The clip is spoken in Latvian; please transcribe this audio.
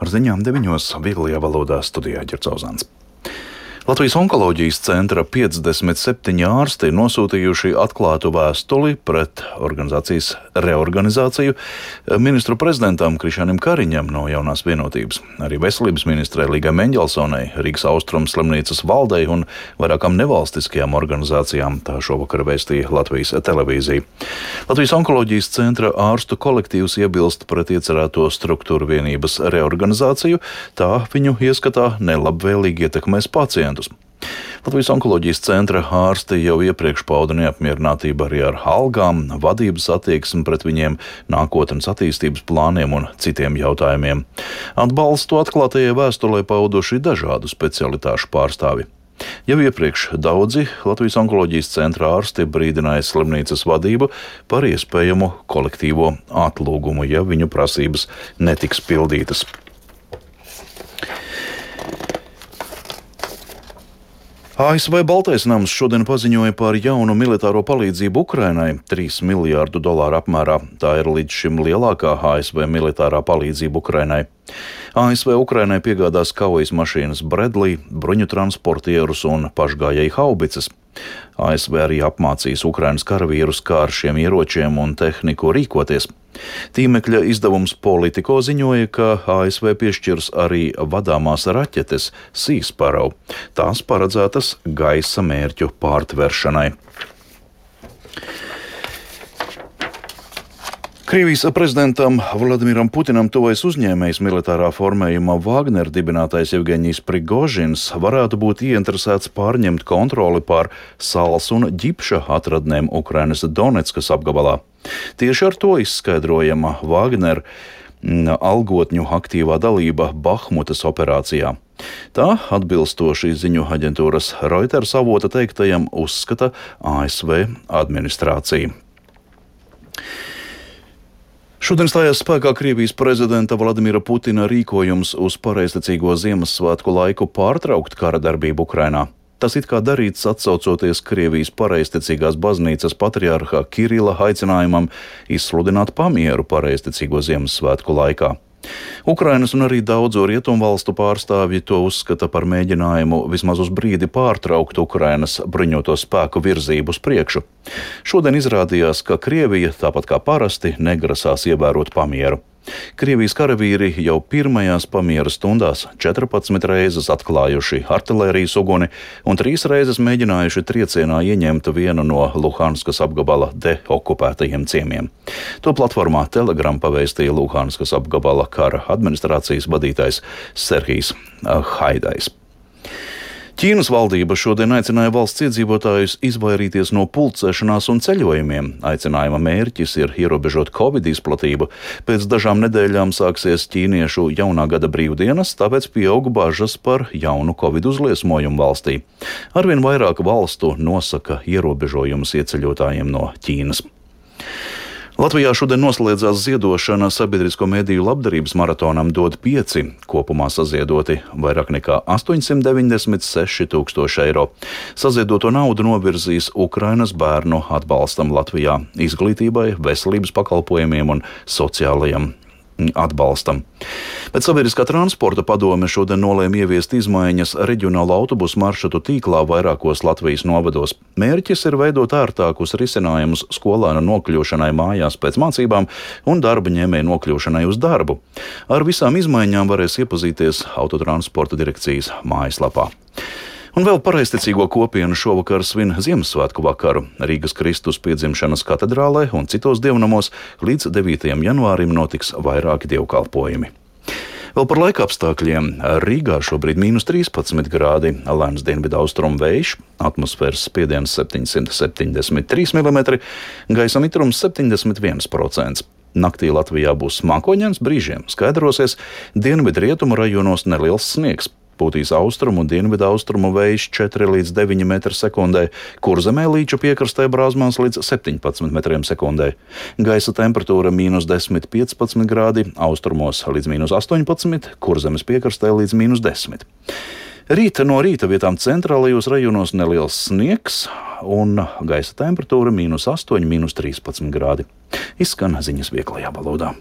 Ar ziņām 9. vieglajā valodā studijā Ģercauzāns. Latvijas onkoloģijas centra 57 ārsti nosūtījuši atklātu vēstuli pret organizācijas reorganizāciju ministru prezidentam Krišjānim Kariņam no Jaunās vienotības, arī veselības ministrei Līgai Meņģelsonai, Rīgas Austrumu slimnīcas valdei un vairākām nevalstiskajām organizācijām, tā šovakar vēstīja Latvijas televīzija. Latvijas onkoloģijas centra ārstu kolektīvs iebilst pret iecerēto struktūru vienības reorganizāciju, tā viņu ieskatā nelabvēlīgi ietekmēs pacientus. Latvijas onkoloģijas centra ārsti jau iepriekš pauda neapmierinātību arī ar algām, vadības attieksmi pret viņiem, nākotnes attīstības plāniem un citiem jautājumiem. Atbalstu atklātajai vēstulē pauduši dažādu specialitāšu pārstāvi. Jau iepriekš daudzi Latvijas onkoloģijas centra ārsti brīdināja slimnīcas vadību par iespējamu kolektīvo atlūgumu, ja viņu prasības netiks pildītas. ASV Baltais nams šodien paziņoja par jaunu militāro palīdzību Ukrainai – $3 miljārdu apmērā. Tā ir līdz šim lielākā ASV militārā palīdzība Ukrainai. ASV Ukrainai piegādās kaujas mašīnas Bradley, bruņu transportierus un pašgājēju haubicas. ASV arī apmācīs Ukrainas karavīrus, kā ar šiem ieročiem un tehniku rīkoties. Tīmekļa izdevums Politico ziņoja, ka ASV piešķirs arī vadāmās raķetes Sea Sparrow. Tās paredzētas gaisa mērķu pārtveršanai. Krievijas prezidentam Vladimiram Putinam tuvojas uzņēmējs militārā formējuma Wagner dibinātais Jevgeņijs Prigožins varētu būt ieinteresēts pārņemt kontroli pār sāls un ģipša atradnēm Ukrainas Doneckas apgabalā. Tieši ar to izskaidrojama Wagner algotņu aktīvā dalība Bahmutas operācijā. Tā, atbilstoši ziņu aģentūras Reuters avota teiktajam, uzskata ASV administrācija. Šodien stājās spēkā Krievijas prezidenta Vladimira Putina rīkojums uz pareizticīgo Ziemassvētku laiku pārtraukt kara darbību Ukrainā. Tas it kā darīts atsaucoties Krievijas pareizticīgās baznīcas patriarha Kirila aicinājumam izsludināt pamieru pareizticīgo Ziemassvētku laikā. Ukrainas un arī daudzu rietumvalstu pārstāvji to uzskata par mēģinājumu vismaz uz brīdi pārtraukt Ukrainas bruņoto spēku virzību uz priekšu. Šodien izrādījās, ka Krievija, tāpat kā parasti, negrasās ievērot pamieru. Krievijas karavīri jau pirmajās pamiera stundās 14 reizes atklājuši artilērijas uguni un 3 reizes mēģinājuši triecienā ieņemt vienu no Luhanskas apgabala deokupētajiem ciemiem. To platformā Telegram pavēstīja Luhanskas apgabala kara administrācijas vadītājs Serhijs Haidajs. Ķīnas valdība šodien aicināja valsts iedzīvotājus izvairīties no pulcēšanās un ceļojumiem. Aicinājuma mērķis ir ierobežot Covid izplatību. Pēc dažām nedēļām sāksies ķīniešu jaunā gada brīvdienas, tāpēc pieaug bažas par jaunu Covid uzliesmojumu valstī. Arvien vairāk valstu nosaka ierobežojumus ieceļotājiem no Ķīnas. Latvijā šodien noslēdzās ziedošana sabiedrisko mediju labdarības maratonam Dod 5, kopumā saziedoti vairāk nekā 896 000 eiro. Saziedoto naudu novirzīs Ukrainas bērnu atbalstam Latvijā, izglītībai, veselības pakalpojumiem un sociālajam atbalstam. Bet Sabiedriskā transporta padome šodien nolēma ieviest izmaiņas reģionālo autobusu maršrutu tīklā vairākos Latvijas novados. Mērķis ir veidot ērtākus risinājumus skolēnu nokļūšanai mājās pēc mācībām un darba ņēmēju nokļūšanai uz darbu. Ar visām izmaiņām varēs iepazīties Autotransporta direkcijas mājaslapā. Un vēl pareizticīgo kopienu šovakar svin Ziemassvētku vakaru. Rīgas Kristus piedzimšanas katedrālē un citos dievnamos līdz 9. janvārim notiks vairāki dievkalpojumi. Vēl par laika apstākļiem. Rīgā šobrīd -13 grādi, lēns dienvidu austrumu vējš, atmosfēras spiediens 773 mm, gaisa mitrums 71%. Naktī Latvijā būs mākoņains, brīžiem skaidrosies, dienvidu rietumu rajonos neliels sniegs. Pūtīs austrumu un dienvidu austrumu vējš 4 līdz 9 m/sekundē, Kurzemē līču piekrastē brāzmās līdz 17 m/sekundē. Gaisa temperatūra -10–15 grādi, austrumos līdz -18, Kurzemes piekrastē līdz -10. No rīta vietām centrālajos rajonos neliels sniegs un gaisa temperatūra -8–13 grādi. Izskan ziņas vieglajā valodā.